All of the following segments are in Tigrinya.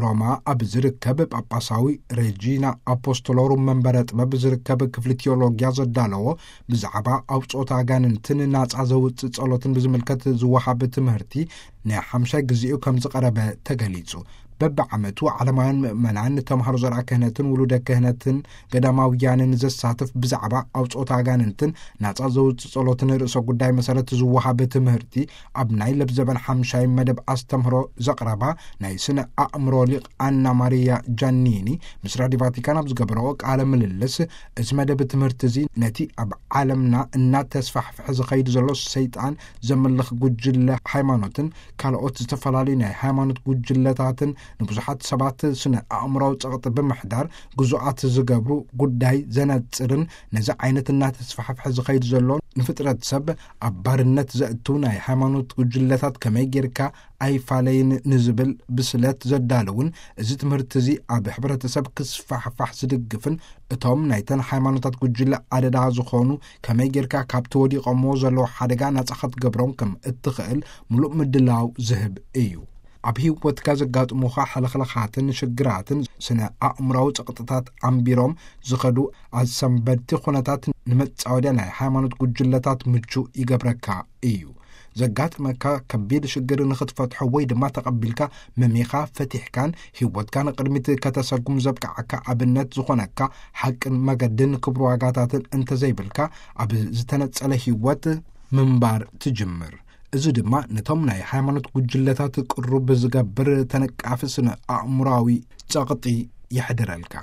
ሮማ ኣብ ዝርከብ ጳጳሳዊ ሬጂና ኣፖስቶሎሩም መንበረ ጥበብ ዝርከብ ክፍሊ ቴዎሎጊያ ዘዳለዎ ብዛዕባ ኣውጾት ኣጋንንትን ናጻ ዘውጽእ ጸሎትን ብዝምልከት ዝወሃብ ትምህርቲ ናይ ሓምሻይ ግዜኡ ከም ዝቐረበ ተገሊጹ። በብዓመቱ ዓለማውያን ምእመናን፣ ተምሃሮ ዘርኣ ክህነትን ውሉደ ክህነትን ገዳማውያንን ዘሳትፍ ብዛዕባ ኣውጾት ኣጋንንትን ናጻ ዘውጽእ ጸሎትን ርእሰ ጉዳይ መሰረት ዝወሃብ ትምህርቲ ኣብ ናይ ለብዘበን ሓምሻይ መደብ ኣስተምህሮ ዘቕረባ ናይ ስነ ኣእምሮ ሊቕ ኣና ማሪያ ጃኒኒ ምስ ራዲዮ ቫቲካን ኣብ ዝገበረኦ ቃለ ምልልስ፣ እዚ መደብ ትምህርቲ እዚ ነቲ ኣብ ዓለምና እናተስፋሕፍሐ ዝኸይድ ዘሎ ሰይጣን ዘምልኽ ጉጅለ ሃይማኖትን ካልኦት ዝተፈላለዩ ናይ ሃይማኖት ጉጅለታትን ንብዙሓት ሰባት ስነ ኣእምሮዊ ጸቕጢ ብምሕዳር ግዙኣት ዝገብሩ ጉዳይ ዘነጽርን፣ ነዚ ዓይነት እናተስፋሕፍሐ ዝኸይድ ዘሎ ንፍጥረት ሰብ ኣብ ባርነት ዘእቱ ናይ ሃይማኖት ጉጅለታት ከመይ ጌርካ ኣይፋለይን ንዝብል ብስለት ዘዳለውን፣ እዚ ትምህርቲ እዚ ኣብ ሕብረተሰብ ክስፋሕፋሕ ዝድግፍን እቶም ናይተን ሃይማኖታት ጉጅለ ኣደዳ ዝኾኑ ከመይ ጌርካ ካብቲ ወዲቖምዎ ዘለዉ ሓደጋ ናጻ ክትገብሮም ከም እትኽእል ምሉእ ምድላው ዝህብ እዩ። ኣብ ህይወትካ ዘጋጥሙኻ ሕልኽልኻትን ሽግራትን ስነ ኣእምራዊ ጸቕጥታት ኣንቢሮም ዝኸዱ ኣሰንበድቲ ኩነታት ንመጻወድያ ናይ ሃይማኖት ጉጅለታት ምቹ ይገብረካ እዩ። ዘጋጥመካ ከቢድ ሽግር ንኽትፈትሖ ወይ ድማ ተቐቢልካ መሚኻ ፈቲሕካን ህይወትካ ንቕድሚት ከተሰጉም ዘብቅዓካ ኣብነት ዝኾነካ ሓቅን መገድን ክብሪ ዋጋታትን እንተዘይብልካ፣ ኣብ ዝተነጸለ ህይወት ምንባር ትጅምር። እዚ ድማ ነቶም ናይ ሃይማኖት ጉጅለታት ቅሩብ ዝገብር ተነቃፊ ስነ ኣእምራዊ ጸቕጢ የሕድረልካ።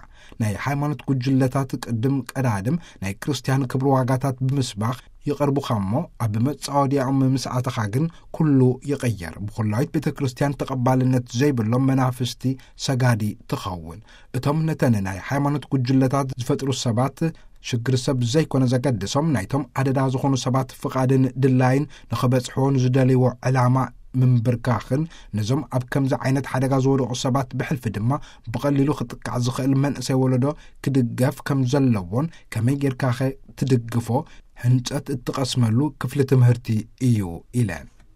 ናይ ሃይማኖት ጉጅለታት ቅድም ቀዳድም ናይ ክርስትያን ክብሪ ዋጋታት ብምስባኽ ይቐርቡኻ እሞ፣ ኣብ መጻወድያኦም ምስ ኣተኻ ግን ኩሉ ይቕየር። ብኹላዊት ቤተ ክርስትያን ተቐባልነት ዘይብሎም መናፍስቲ ሰጋዲ ትኸውን። እቶም ነተን ናይ ሃይማኖት ጉጅለታት ዝፈጥሩ ሰባት ሽግር ሰብ ዘይኮነ ዘገድሶም፣ ናይቶም ኣደዳ ዝኾኑ ሰባት ፍቓድን ድላይን ንኸበጽሕዎ ንዝደልይዎ ዕላማ ምንብርካኽን፣ ነዞም ኣብ ከምዚ ዓይነት ሓደጋ ዝወደቑ ሰባት ብሕልፊ ድማ ብቐሊሉ ክጥቃዕ ዝኽእል መንእሰይ ወለዶ ክድገፍ ከም ዘለዎን፣ ከመይ ጌርካኸ ትድግፎ፣ ህንጸት እትቐስመሉ ክፍሊ ትምህርቲ እዩ ኢለን።